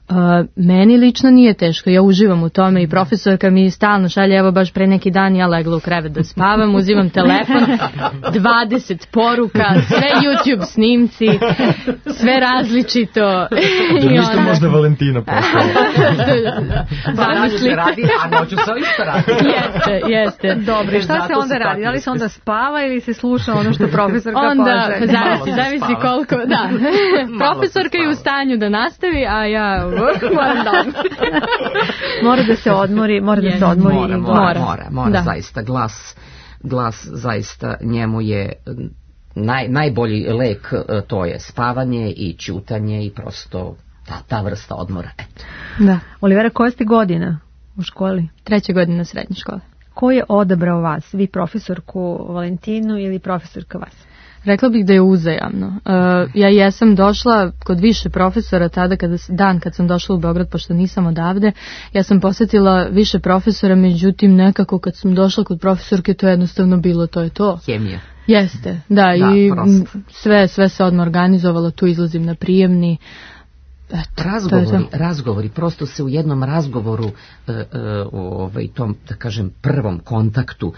Uh, meni lično nije teško, ja uživam u tome i profesorka mi stalno šalje, evo baš pre neki dan ja legla u krevet da spavam, uzimam telefon, dvadeset poruka, sve YouTube snimci, sve različito. Da ništa možda Valentina postala. Zamisli. Radi, a noću se isto radi. Jeste, jeste. Dobro, šta se onda radi? Da li se onda spava ili se sluša ono što profesorka onda, kaže? Onda, zavisi, zavisi koliko, da. Profesorka je u stanju da nastavi, a ja mora da se odmori, mora da se odmori. Mora, mora, mora, mora zaista, glas, glas zaista njemu je naj, najbolji lek, to je spavanje i ćutanje i prosto ta, ta vrsta odmora. Eto. Da. Olivera, koja ste godina u školi? Treća godina srednje škole. Ko je odabrao vas? Vi profesorku Valentinu ili profesorka vas? Rekla bih da je uzajamno. Uh, ja jesam došla kod više profesora tada, kada, dan kad sam došla u Beograd, pošto nisam odavde, ja sam posjetila više profesora, međutim nekako kad sam došla kod profesorke to je jednostavno bilo, to je to. Hemija. Jeste, da, da i sve, sve se odmah organizovalo, tu izlazim na prijemni. Eto, razgovori, razgovori, prosto se u jednom razgovoru uh, uh, ovaj, tom, da kažem, prvom kontaktu uh,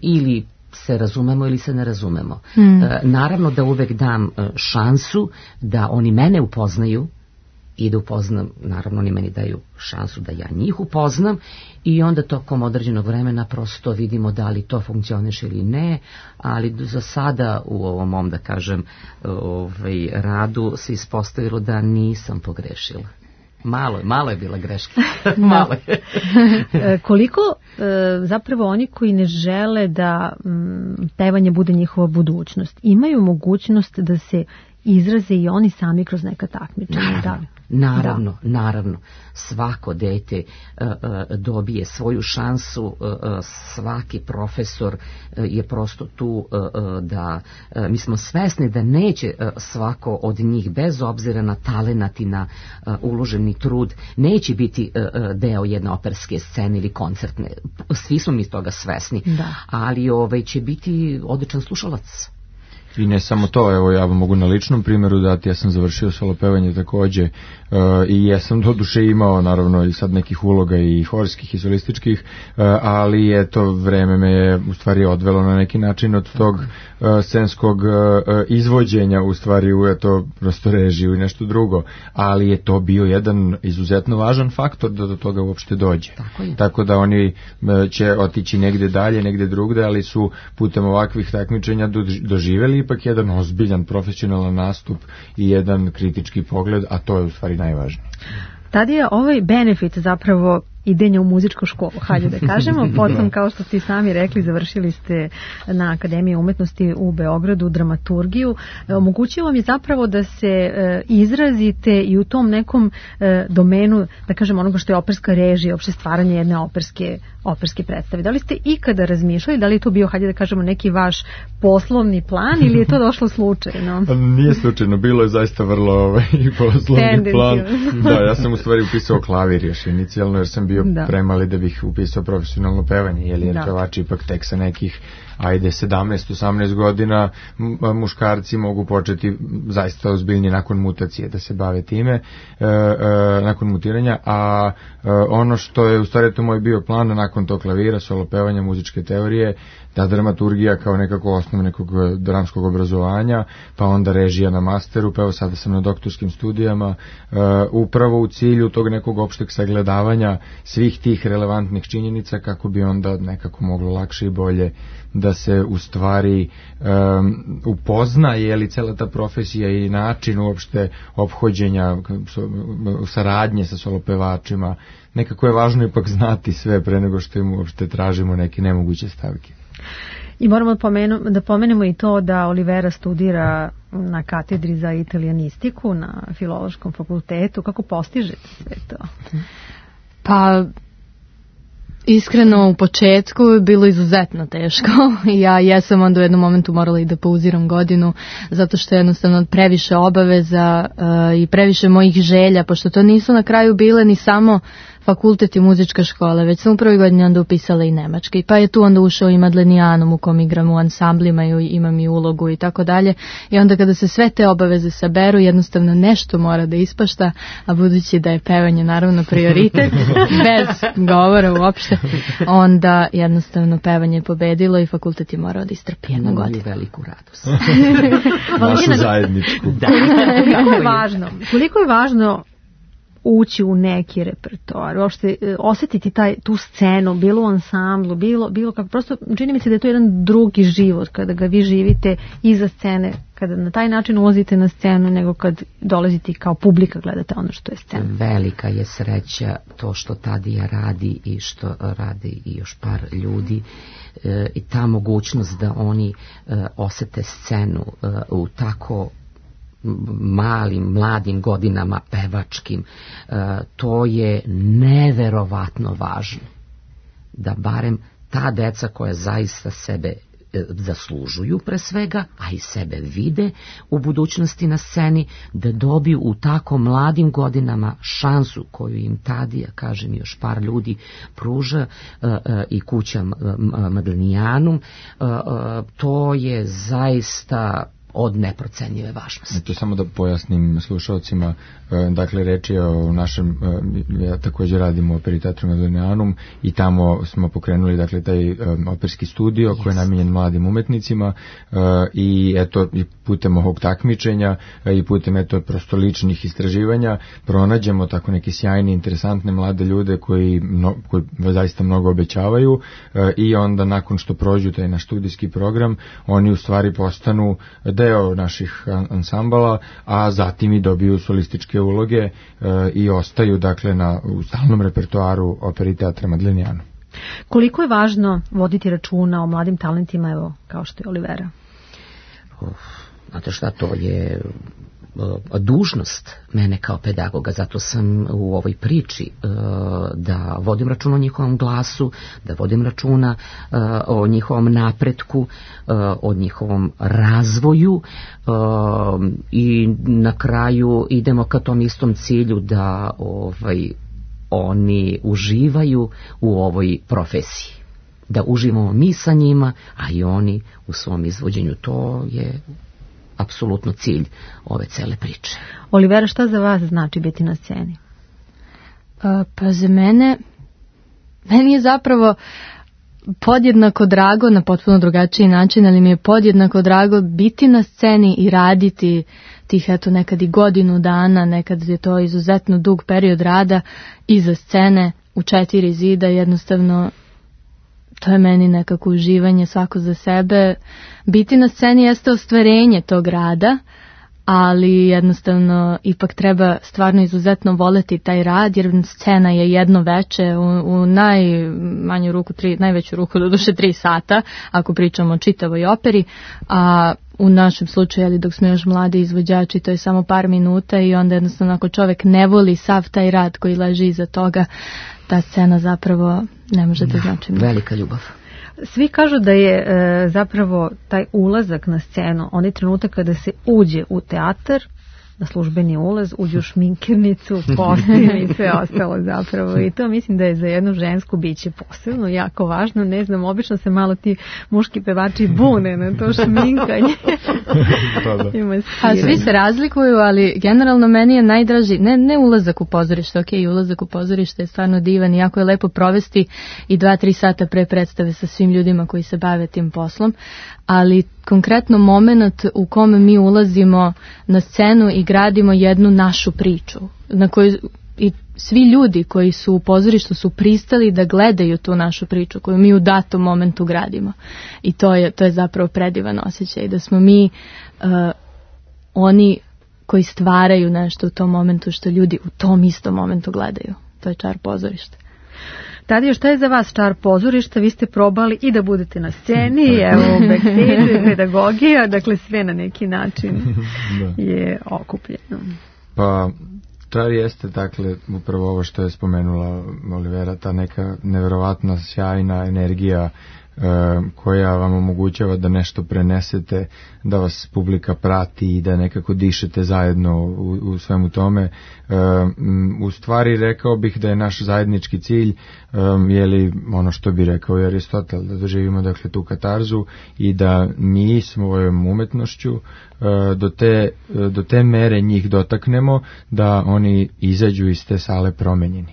ili se razumemo ili se ne razumemo. Hmm. E, naravno da uvek dam šansu da oni mene upoznaju i da upoznam, naravno oni meni daju šansu da ja njih upoznam i onda tokom određenog vremena prosto vidimo da li to funkcioniše ili ne, ali za sada u ovom mom, da kažem, ovaj, radu se ispostavilo da nisam pogrešila. Malo je, malo je bila greška. Malo je. Koliko e, zapravo oni koji ne žele da m, pevanje bude njihova budućnost, imaju mogućnost da se izraze i oni sami kroz neka takmičenja? Da. Naravno, da. naravno. Svako dete uh, uh, dobije svoju šansu, uh, uh, svaki profesor uh, je prosto tu uh, uh, da, uh, mi smo svesni da neće uh, svako od njih, bez obzira na talenat i na uh, uloženi trud, neće biti uh, uh, deo jedne operske scene ili koncertne. Svi smo mi toga svesni, da. Ali ovaj, će biti odličan slušalac. I ne samo to, evo ja vam mogu na ličnom primjeru dati, ja sam završio solo pevanje takođe uh, i ja sam do duše imao naravno i sad nekih uloga i horskih i solističkih, uh, ali je to vreme me je u stvari odvelo na neki način od tog uh, scenskog uh, izvođenja u stvari u eto prosto režiju i nešto drugo, ali je to bio jedan izuzetno važan faktor da do toga uopšte dođe. Tako, Tako da oni uh, će otići negde dalje, negde drugde, ali su putem ovakvih takmičenja doživeli ipak jedan ozbiljan profesionalan nastup i jedan kritički pogled, a to je u stvari najvažnije. Tad je ovaj benefit zapravo idenja u muzičku školu, hajde da kažemo. Potom, kao što ste i sami rekli, završili ste na Akademiji umetnosti u Beogradu dramaturgiju. Omogućilo vam je zapravo da se e, izrazite i u tom nekom e, domenu, da kažemo, onoga što je operska režija, opšte stvaranje jedne operske, operske predstave. Da li ste ikada razmišljali, da li je to bio, hajde da kažemo, neki vaš poslovni plan ili je to došlo slučajno? Nije slučajno, bilo je zaista vrlo ovaj, poslovni Tendencijum. plan. Da, ja sam u stvari upisao klavir još inicijalno, jer sam bio da. premali da bih upisao profesionalno pevanje, jer je pevač ipak tek sa nekih ajde sedamnaest osamnaest godina muškarci mogu početi zaista ozbiljnije nakon mutacije da se bave time, e, e, nakon mutiranja, a e, ono što je u stvari to moj bio plan nakon tog klavira, solo pevanja, muzičke teorije, da dramaturgija kao nekako osnov nekog dramskog obrazovanja, pa onda režija na masteru, pa evo sada sam na doktorskim studijama, e, upravo u cilju tog nekog opšteg sagledavanja svih tih relevantnih činjenica kako bi onda nekako moglo lakše i bolje da se u stvari um, upozna je li cela ta profesija i način uopšte ophođenja, saradnje sa solopevačima. Nekako je važno ipak znati sve pre nego što im uopšte tražimo neke nemoguće stavke. I moramo pomenu, da pomenemo i to da Olivera studira na katedri za italijanistiku na Filološkom fakultetu. Kako postižete sve to? Pa iskreno u početku je bilo izuzetno teško. Ja jesam onda u jednom momentu morala i da pauziram godinu zato što je jednostavno previše obaveza uh, i previše mojih želja, pošto to nisu na kraju bile ni samo fakultet i muzička škola, već sam u prvoj godini onda upisala i nemački, pa je tu onda ušao i Madlenijanum u kom igram u ansamblima i imam i ulogu i tako dalje, i onda kada se sve te obaveze saberu jednostavno nešto mora da ispašta, a budući da je pevanje naravno prioritet bez govora uopšte, onda jednostavno pevanje je pobedilo i fakultet je morao da istrpi jednu godinu. Veliku radost. Našu zajedničku. Da. Koliko je važno, koliko je važno ući u neki repertoar, uopšte osetiti taj, tu scenu, bilo u ansamblu, bilo, bilo kako, prosto čini mi se da je to jedan drugi život kada ga vi živite iza scene, kada na taj način ulazite na scenu nego kad dolazite kao publika gledate ono što je scena. Velika je sreća to što Tadija radi i što radi i još par ljudi e, i ta mogućnost da oni e, osete scenu e, u tako malim, mladim godinama pevačkim, e, to je neverovatno važno. Da barem ta deca koja zaista sebe e, zaslužuju pre svega, a i sebe vide u budućnosti na sceni, da dobiju u tako mladim godinama šansu koju im Tadija, kažem još par ljudi, pruža e, e, i kuća Madlenijanum, e, e, to je zaista od neprocenjive važnosti. Eto, samo da pojasnim slušalcima, dakle reč je o našem, ja također radim u Operi Teatru Madlenijanum i tamo smo pokrenuli dakle taj operski studio yes. koji je namijenjen mladim umetnicima i eto i putem ovog takmičenja i putem eto prosto ličnih istraživanja pronađemo tako neke sjajne, interesantne mlade ljude koji, no, koji zaista mnogo obećavaju i onda nakon što prođu taj naš studijski program, oni u stvari postanu deo naših ansambala, a zatim i dobiju solističke uloge e, i ostaju dakle na u stalnom repertoaru Operi Teatra Madlenijanum. Koliko je važno voditi računa o mladim talentima, evo, kao što je Olivera? Uf, znate šta, to je dužnost mene kao pedagoga, zato sam u ovoj priči da vodim računa o njihovom glasu, da vodim računa o njihovom napretku, o njihovom razvoju i na kraju idemo ka tom istom cilju da ovaj, oni uživaju u ovoj profesiji. da uživamo mi sa njima, a i oni u svom izvođenju. To je apsolutno cilj ove cele priče. Olivera, šta za vas znači biti na sceni? A, pa za mene, meni je zapravo podjednako drago na potpuno drugačiji način, ali mi je podjednako drago biti na sceni i raditi tih eto nekad i godinu dana, nekad je to izuzetno dug period rada iza scene u četiri zida, jednostavno to je meni nekako uživanje svako za sebe. Biti na sceni jeste ostvarenje tog rada, ali jednostavno ipak treba stvarno izuzetno voleti taj rad, jer scena je jedno veče u, u najmanju ruku, tri, najveću ruku do duše tri sata, ako pričamo o čitavoj operi, a u našem slučaju, ali dok smo još mladi izvođači, to je samo par minuta i onda jednostavno ako čovek ne voli sav taj rad koji leži iza toga, ta scena zapravo ne može da znači mnogo. Velika ljubav. Svi kažu da je e, zapravo taj ulazak na scenu, onaj trenutak kada se uđe u teatar, na službeni ulaz, uđe u šminkernicu, postim i sve ostalo zapravo. I to mislim da je za jednu žensku biće posebno jako važno. Ne znam, obično se malo ti muški pevači bune na to šminkanje. A svi se razlikuju, ali generalno meni je najdraži, ne, ne ulazak u pozorište, ok, ulazak u pozorište je stvarno divan i jako je lepo provesti i dva, tri sata pre predstave sa svim ljudima koji se bave tim poslom, ali konkretno moment u kome mi ulazimo na scenu i gradimo jednu našu priču, na kojoj i svi ljudi koji su u pozorištu su pristali da gledaju tu našu priču koju mi u datom momentu gradimo. I to je, to je zapravo predivan osjećaj, da smo mi uh, oni koji stvaraju nešto u tom momentu što ljudi u tom istom momentu gledaju. To je čar pozorišta. Tadija, šta je za vas čar pozorišta? Vi ste probali i da budete na sceni, evo, backstage, pedagogija, dakle sve na neki način je okupljeno. Pa, čar jeste, dakle, upravo ovo što je spomenula Olivera, ta neka neverovatna, sjajna energija koja vam omogućava da nešto prenesete, da vas publika prati i da nekako dišete zajedno u, u svemu tome. U stvari rekao bih da je naš zajednički cilj je li ono što bi rekao i Aristotel, da doživimo dakle tu katarzu i da mi svojom umetnošću do te, do te mere njih dotaknemo da oni izađu iz te sale promenjeni.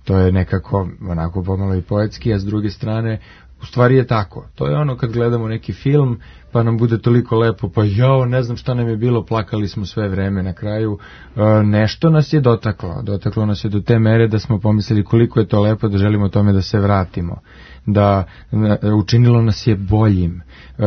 To je nekako onako pomalo i poetski, a s druge strane u stvari je tako. To je ono kad gledamo neki film pa nam bude toliko lepo, pa jao, ne znam šta nam je bilo, plakali smo sve vreme na kraju. E, nešto nas je dotaklo. Dotaklo nas je do te mere da smo pomislili koliko je to lepo, da želimo tome da se vratimo. Da e, učinilo nas je boljim. E,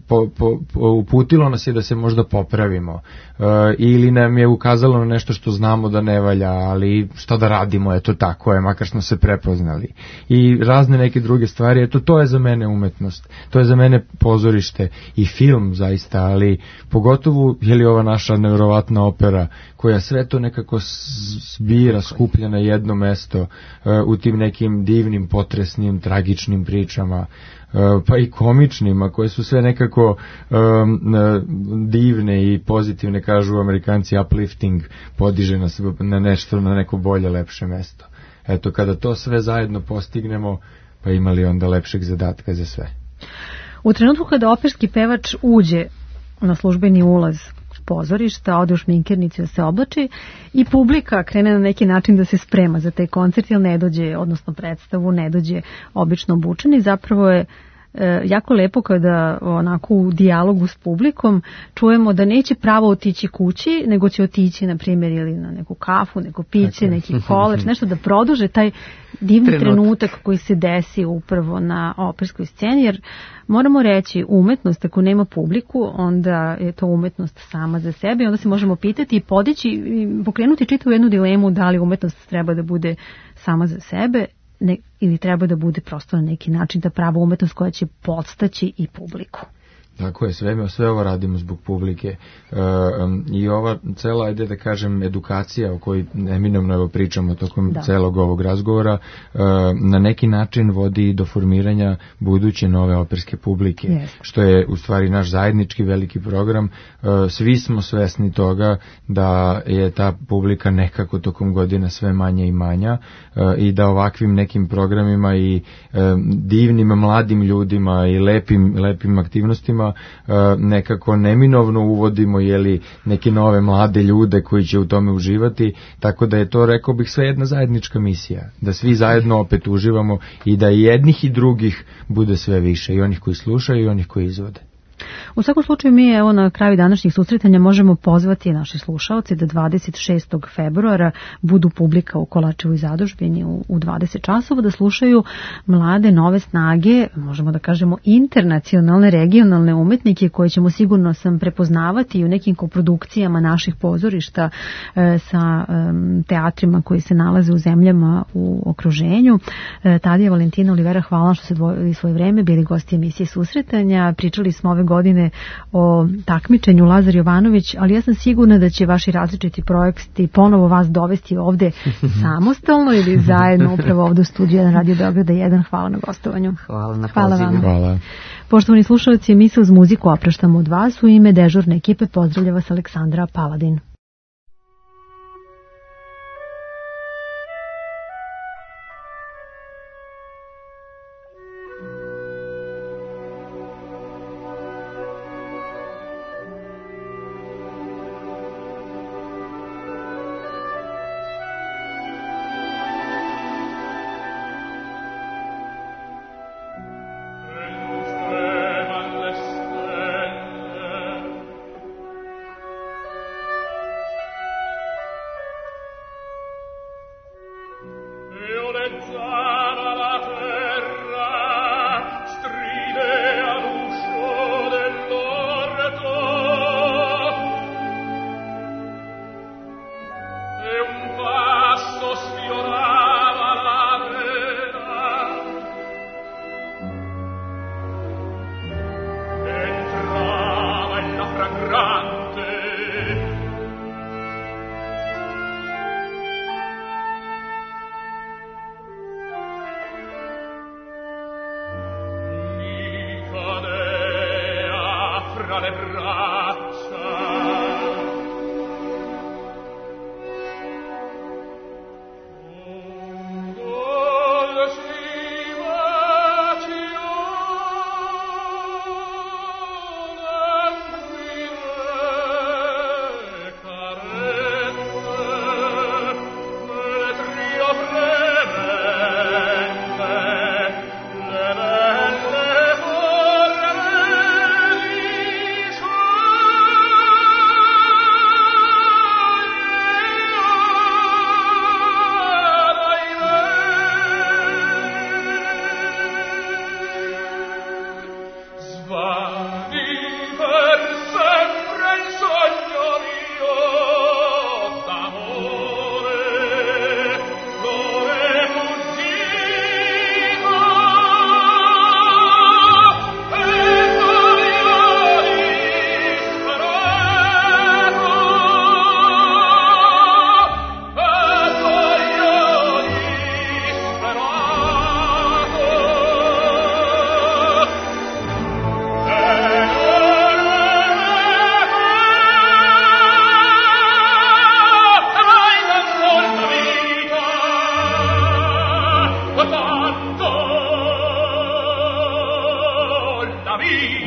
po, po, po, uputilo nas je da se možda popravimo. E, ili nam je ukazalo na nešto što znamo da ne valja, ali šta da radimo, eto tako je, makar smo se prepoznali. I razne neke druge stvari, eto to je za mene umetnost. To je za mene pozorište i film zaista, ali pogotovo je li ova naša nevjerovatna opera koja sve to nekako zbira, skuplja na jedno mesto uh, u tim nekim divnim, potresnim, tragičnim pričama, uh, pa i komičnima, koje su sve nekako um, divne i pozitivne, kažu Amerikanci, uplifting, podiže nas na nešto, na neko bolje, lepše mesto. Eto, kada to sve zajedno postignemo, pa imali onda lepšeg zadatka za sve. U trenutku kada operski pevač uđe na službeni ulaz pozorišta, ode u šminkernicu da se oblači i publika krene na neki način da se sprema za taj koncert, jer ne dođe, odnosno predstavu, ne dođe obično obučeni, zapravo je e, jako lepo kada onako u dijalogu s publikom čujemo da neće pravo otići kući, nego će otići, na primjer, ili na neku kafu, neko piće, neki koleč, nešto da produže taj divni trenutak. trenutak koji se desi upravo na operskoj sceni, jer moramo reći, umetnost ako nema publiku, onda je to umetnost sama za sebe i onda se možemo pitati i podići i pokrenuti čitavu jednu dilemu da li umetnost treba da bude sama za sebe ne, ili treba da bude prosto na neki način da prava umetnost koja će podstaći i publiku. Tako je, sve, sve ovo radimo zbog publike e, i ova cela, ajde da kažem, edukacija o kojoj neminovno evo pričamo tokom da. celog ovog razgovora, e, na neki način vodi do formiranja buduće nove operske publike, yes. što je u stvari naš zajednički veliki program. E, svi smo svesni toga da je ta publika nekako tokom godina sve manja i manja e, i da ovakvim nekim programima i e, divnim mladim ljudima i lepim, lepim aktivnostima nekako neminovno uvodimo jeli, neke nove mlade ljude koji će u tome uživati, tako da je to, rekao bih, sve jedna zajednička misija, da svi zajedno opet uživamo i da i jednih i drugih bude sve više, i onih koji slušaju i onih koji izvode. U svakom slučaju mi evo na kraju današnjih susretanja možemo pozvati naše slušaoce da dvadeset šestog februara budu publika u Kolačevoj zadužbini u, u dvadeset časova, da slušaju mlade nove snage, možemo da kažemo internacionalne, regionalne umetnike koje ćemo sigurno sam prepoznavati i u nekim koprodukcijama naših pozorišta e, sa e, teatrima koji se nalaze u zemljama u okruženju. E, Tadija, Valentina, Olivera, hvala što ste dvojili svoje vreme, bili gosti emisije Susretanja, pričali smo ove godine o takmičenju Lazar Jovanović, ali ja sam sigurna da će vaši različiti projekti ponovo vas dovesti ovde samostalno ili zajedno upravo ovde u studiju jedan Radio Beograda jedan. Hvala na gostovanju. Hvala na Hvala pozivu. vam. Hvala. Poštovani slušalci, mi se uz muziku opraštamo od vas. U ime dežurne ekipe pozdravlja vas Aleksandra Paladin. Vita